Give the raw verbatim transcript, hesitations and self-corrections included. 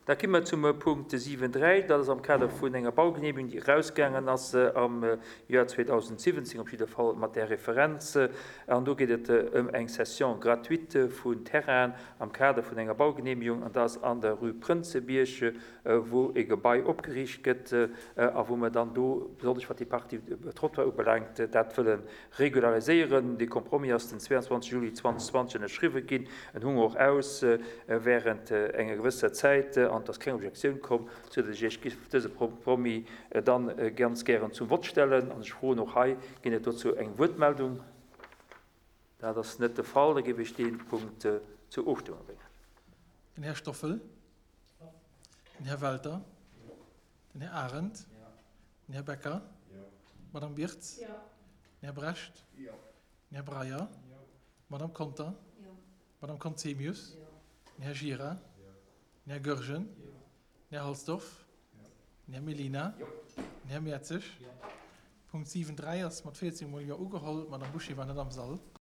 Da komme mer zum Punkt siwen dräi. Dat ass am Kader vun enger Baugenehmigung, déi erausgaangen ass am Joer zweedausendsiwwenzéng, op jidde Fall mat där Referenz. An do geet et ëm eng Cession gratuite vun Terrainen am Kader vun enger Baugenehmigung. An dat ass an der Rue Prënzebierg, wou e Gebai opgeriicht gëtt a wou mer dann do, besonnesch wat déi Partie Trottoir ubelaangt, dat wëlle regulariséieren. Dee Compromis ass den zweeanzwanzeg Juli zweedausendzwanzeg ënnerschriwwen ginn. En hung och aus während enger gewësser Zäit an et ass keng Objektioun komm, soudatt ech Iech giff dëse Compromis dann ganz gären zum Vott stellen. An ech froen och hei, ginn et dozou eng Wuertmeldung? Dat ass net de Fall. Da géif ech dee Punkt zur Ofstëmmung bréngen. Den Här Stoffel. Den Här Welter. Den Här Arendt. Den Här Becker. D'Madame Birtz. Den Här Brecht. Den Här Breyer. D'Madame Conter. D'Madame Conzemius. Den Här Gira. Den Här Goergen. Den Här Halsdorf. Den Här Mellina. Den Här Mertzig. Punkt siwen dräi ass mat véierzéng Mol Jo ugeholl. D'Madame Bouché war net am Sall.